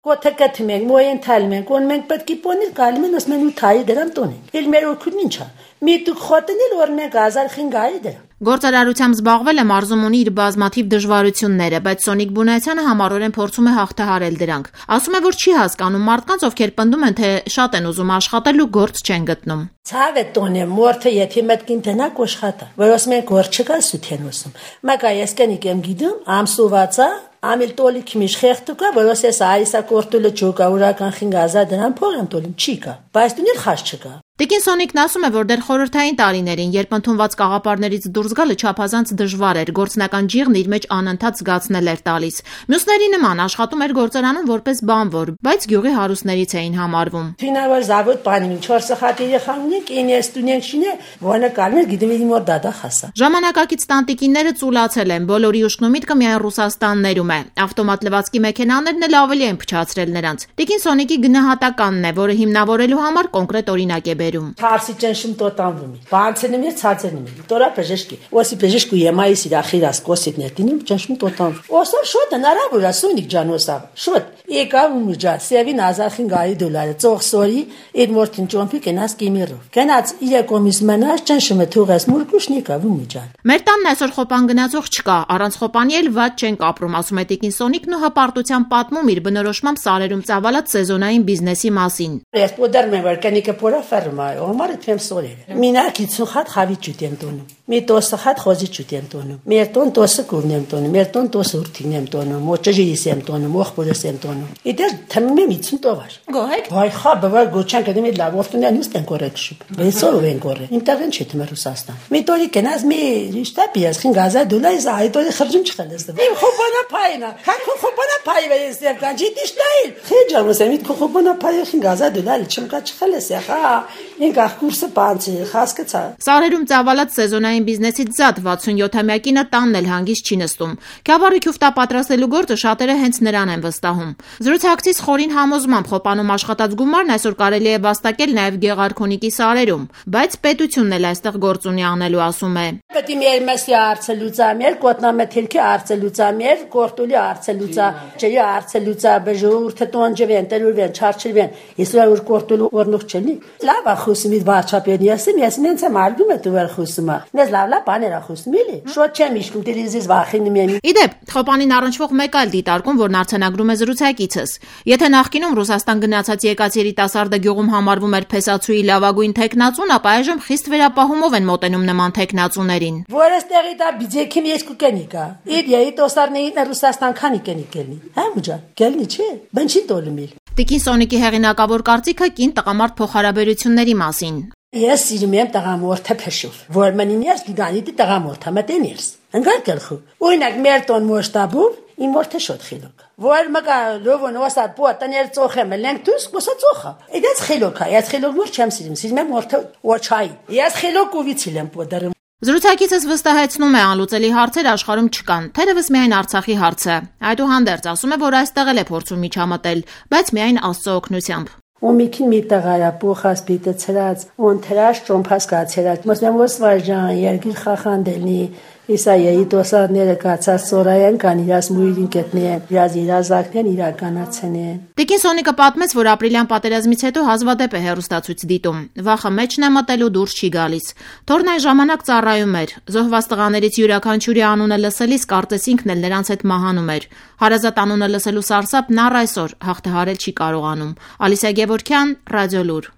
Կոթը կթում ենք, մոյեն թալում ենք, ոն մենք պետք է պոնել գալում են, ասում են ու թայի դրան տոնենք։ Էլ մեր օգուտ ինչա։ Մի դուք խոտնել որ մենք 1500 դրամ։ Գործարարությամբ զբաղվել է մարզում ունի իր բազմաթիվ դժվարությունները, բայց Սոնիկ Բունայցյանը համառորեն փորձում է հաղթահարել դրանք։ Ասում է, որ չի հասկանում մարդկանց, ովքեր պնդում են, թե շատ են ուզում աշխատել ու գործ չեն գտնում։ Ցավ է տոնը մորթը եթե մտքին տնակ աշխատա, որ ասում են գործ չկա սութեն ուսում։ Մակա ես կնիկ եմ գիտում, ամսուվացա Ամիլ տոլի քիմիշ խեղտուկա, որոս ես այսա կորտուլը չոկա ուրական 5000 դրամ փող եմ տոլում չիկա, բայց դուներ խաշ չկա։ Տիկին Սոնիկն ասում է, որ դեռ խորհրդային տարիներին, երբ ընդունված կաղապարներից դուրս գալը չափազանց դժվար էր, գործնական ջիղն իր մեջ անընդհատ զգացնել էր տալիս։ Մյուսների նման աշխատում էր գործարանում որպես բանվոր, բայց գյուղի հարուստներից էին համարվում։ Ֆինավոր զավոդ բանիմի 4 սխատ երեխաներ, ինես տունենքշինը, որը կարմեր գիտեմ մոր դադա խասա։ Ժամանակակից տանտիկինները ծուլացել են, բոլորի ուշքն ու միտքը միայն Ռուսաստաններում է։ Ավտոմատ լվացքի մեքենաներն էլ ավելի են փչացրել նրանց։ Տիկին Սոնիկի գնահատականն է, որը հիմնավորելու համար կոնկրետ օրինակ է բերում։ Հարսի ճնշում տոտանվում է։ Բանցնում է ցածրնում է։ Տորա բժշկի։ Ոսի բժշկու եմայիս իր ախիրաս կոսիդներդին ճնշում տոտանվում։ Օսա շոտ հնարավոր է Սոնիկ ջան օսա։ Շոտ եկա ումուջա սևին 1500 ծողսորի իդ մորտին ճոմփի կենաս կիմիրով։ Կենաց իրեկոմիս մնաց ճնշումը թուղես մուրկուշնիկա ումուջան։ Մեր տանն այսօր խոպան գնացող չկա, առանց խոպանի էլ վատ չենք ապրում, ասում է Տիկին Սոնիկն ու հպարտությամբ պատմում իր բնորոշմամբ սարերում ծավալած սեզոնային բիզնեսի մասին։ Ես պոդերմ եմ որ կնիկը փորա ֆերմա Omar թեմ սորել։ Մինակ 50 հատ խավի ճուտ եմ տոնում։ Մի տոսը հատ խոզի ճուտ եմ տոնում։ Մեր տոն տոսը կուրն եմ տոնում։ Մեր տոն տոսը ուրթին եմ տոնում։ Ոչջիս եմ տոնում, ոխբորս եմ տոնում։ Իդեր թմեմ 50 տովար։ Գոհեք։ Վայ խա բավար գոչան կդեմ լավ ոստունյան ուստն են կորեքշիպ։ Բեսով են կորե։ Ինտերնետ չի թմեր Ռուսաստան։ Մի տորի կնազ մի շտապիաս 5000 իզ այտորի խրճում չխելես։ Իմ խոբանա փայնա։ Քան խոբանա փայ վես եմ կանջի դիշտայլ։ Խեջամս եմ իդ խոբանա փայ 5000 չմկա չխելես յախա։ Ինքա կուրսը բանցի խասկացա։ Սարերում ծավալած սեզոնային բիզնեսից զատ 67-ամյակինը տանն էլ հանգիստ չի նստում։ Քյավառի քյուֆտա պատրաստելու գործը շատերը հենց նրան են վստահում։ Զրուցակցից խորին համոզմամբ խոպանում աշխատած գումարն այսօր կարելի է վաստակել նաև Գեղարքունիքի սարերում, բայց պետությունն էլ այստեղ գործ ունի անելու, ասում է։ Պետք է մեր մեսի արցելուծա, մեր կոտնամեթելքի արցելուծա, մեր կորտուլի արցելուծա, ջերի արցելուծա, բժուրթը տոնջվեն, տերուրվեն, չարչրվեն։ Իսրա որ կորտուլու օրնուխ չլի։ Լավախուսմի վարչապետն ես ինձ եմ արգում է դու վեր խոսում։ Նես լավ բաներախուսում էլի։ Շոտ չեմ իշքում տելևիզիոն վախինում եմ։ Իդեպ, խոպանին առնչվող մեկ այլ դիտարկում, որն արձանագրում է զրուցակիցս։ Եթե նախկինում Ռուսաստան գնացած եկած երիտասարդը գյուղում համարվում էր փեսացուի լավագույն տեխնացուն, ապա այժմ խիստ վերապահումով են մոտենում նման տեխնացուներին։ Որ էստեղի դա բիձեքին երկու կենիկա։ Իդ երիտասարդներին Ռուսաստան քանի կենիկ կելնի։ Հա մուջա, կելնի չէ։ Բնչի տոլումիլ։ Տիկին Սոնիկի հեղինակավոր կարծիքը կին տղամարդ փոխհարաբերությունների մասին։ Ես սիրում եմ տղամորթը փշով, որ մնինես գիգանիտի տղամորթը մտենիրս։ Ընկալ կլխու։ Օրինակ մեր տոն մոշտաբով իմ մորթը շոտ խիլոք։ Որ մկա լովոն օսատ պոտաներ ծոխեմ լենք դուս կոսա ծոխա։ Իդած խիլոքա, ես խիլոք մոր չեմ սիրում եմ մորթը ոչայ։ Ես խիլոք ուվիցիլ եմ պոդարում։ Զրուցակիցս վստահեցնում է անլուծելի հարցեր աշխարհում չկան, թերևս միայն Արցախի հարցը։ Այդուհանդերձ ասում է, որ այստեղ էլ է փորձում միջամտել, բայց միայն Աստծո օգնությամբ։ Ոմիկին մի տղարա փոխած պիտը ցրած, ոնց թրաշ ճոմփած կացերած։ Մոսնեմ ոսվաժան, երգիր խախանդելնի, իսայեի դոսարները կացած սորայան կան իրաս մույրին կետնեն, իրաս իրազակնեն իրականացնեն։ Տիկին Սոնիկը պատմեց, որ ապրիլյան պատերազմից հետո հազվադեպ է հեռուստացույց դիտում։ Վախը մեջն է մտել ու դուրս չի գալիս։ Թորն այն ժամանակ ծառայում էր։ Զոհված տղաներից յուրաքանչյուրի անունը լսելիս կարծես ինքն էլ նրանց հետ մահանում էր։ Հարազատ անունը լսելու սարսափն առ այսօր հաղթահարել չի կարողանում։ Ալիսա Գևորգյան, Ռադիոլուր։